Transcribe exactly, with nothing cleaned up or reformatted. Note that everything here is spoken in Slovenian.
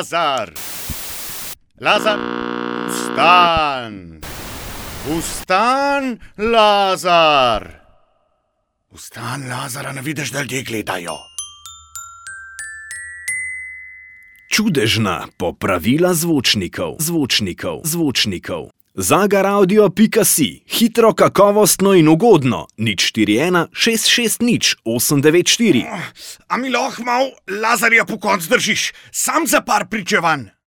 Lazar! Lazar, vstan! Vstan, Lazar! Vstan, Lazara, ne vidiš, da ljudje gledajo. Čudežna popravila zvočnikov, zvočnikov, zvočnikov. Zagaraudio pika si, hitro, kakovostno in ugodno. nič štiri ena šest šest nič osem devet štiri. A mi lahko malo Lazarja po konc držiš, sam za par pričevanj.